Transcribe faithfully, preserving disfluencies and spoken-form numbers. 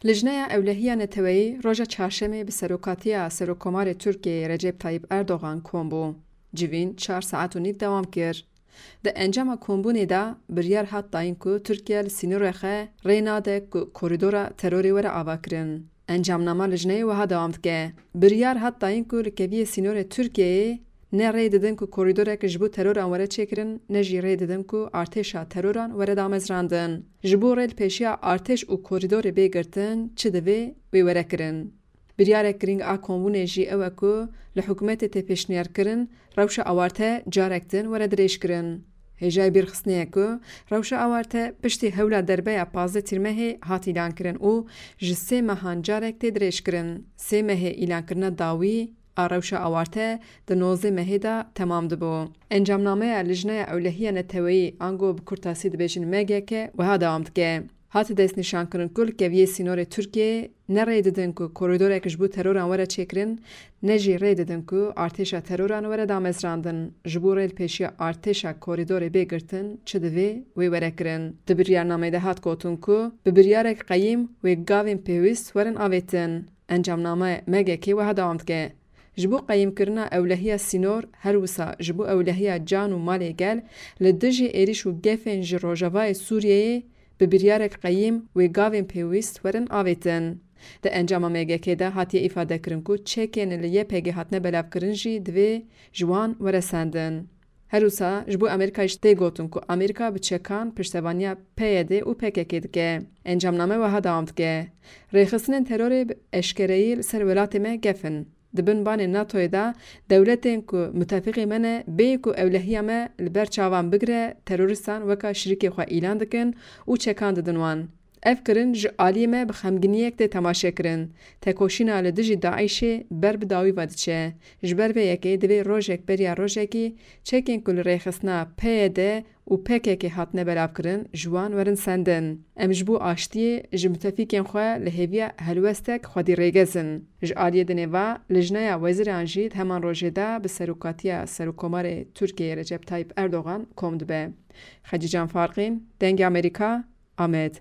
Lijneya Ewlehiya Neteweyî roja Çarşemê bi serokatiya Serokkomarê Tirkiyeyê Recep Tayyip Erdogan kom bû. Civîn çar saet û nîv dewam kir. Di encama kombûnê de biryar hat dayîn ku Tirkiye li sînorê xwe rê nade ku korîdora terorê were avakirin. Encamnama lijneyê wiha dewam dike. Biryar hat dayîn ku li keviyê sînorê Tirkiyeyê ne rê didin ku korîdorek ji bo teroran were çêkirin, ne jî rê didin ku artêşa teroran were damezrandin. Ji bo rê li pêşiya artêş û korîdorê bê girtin çi divê wê were kirin. Biryarek girîng a kombûnê jî ew e ku li hikûmetê tê pêşniyarkirin rewşa awarte carek din were dirêjkirin. Hêjayî bîrxistinê ye ku rewşa awarte piştî hewla derbeya pazdeh Tîrmehê hat îlankirin û ji sê mehan carek tê dirêjkirin. Sê mehê îlankirina dawî a rewşa awarte di nozdeh mehê de temam dibû. Encamnameya Lijneya Ewlehiya Neteweyî, ango bi kurtasî dibêjin M G K, wiha dewam dike. Hate destnîşankirin ku li keviyê sînorê Tirkiyeyê ne rê didin ku korîdorek ji bo teroran were çêkirin, ne jî rê didin ku artêşa teroran were damezrandin. Ji bo rê li pêşiya artêşa korîdorê bê girtin çi divê wê were kirin. Di biryarnameyê de hat gotin ku bi biryarek qeyîm wê gavên pêwîst werin avêtin. Encamname M G K wiha dewam dike. Ji bo qeyîmkirina ewlehiya sînor, her wisa ji bo ewlehiya can û malê gel, li dijî êrîş û gefên ji rojavayê Sûriyeyê bi biryarek qeyîm wê gavên pêwîst werin avêtin. Di encama M G K de hatiye îfadekirin ku çekên li Y P G hatine belavkirin jî divê ji wan were sendin. Her wisa ji bo Amerîkayê jî tê gotin ku Amerîka bi çekan piştevaniya P Y D û P K K dike. Encamname wiha dewam dike. Rêxistinên terorê bi eşkereyî li ser welatê me gef in. Di bin banê NATOyê de dewletên ku mutefîqê me ne, bêyî ku ewlehiya me li ber çavan bigire, terorîstan weka şirîkê xwe îlan dikin û çekan didin wan. Ev kirin ji aliyê me bi xemgîniyek tê temaşekirin. Tekoşîna li dijî DAIŞê ber bi dawî ve diçe. Ji ber vê yekê divê rojek beriya rojekî çekên ku li rêxistina P Y D û P K K hatine belavkirin ji wan werin sendin. Em ji bo aştiyê ji mutefîkên xwe li hêviya helwestek xwedî rêgez in. Ji aliyê dinê ve, Lijneya Wezîran jî di heman rojê de bi serokatiya Serokkomarê Tirkiyeyê Recep Tayyip Erdogan kom dibe. Xecîcan Farqîn, Dengê Amerîka, Amed.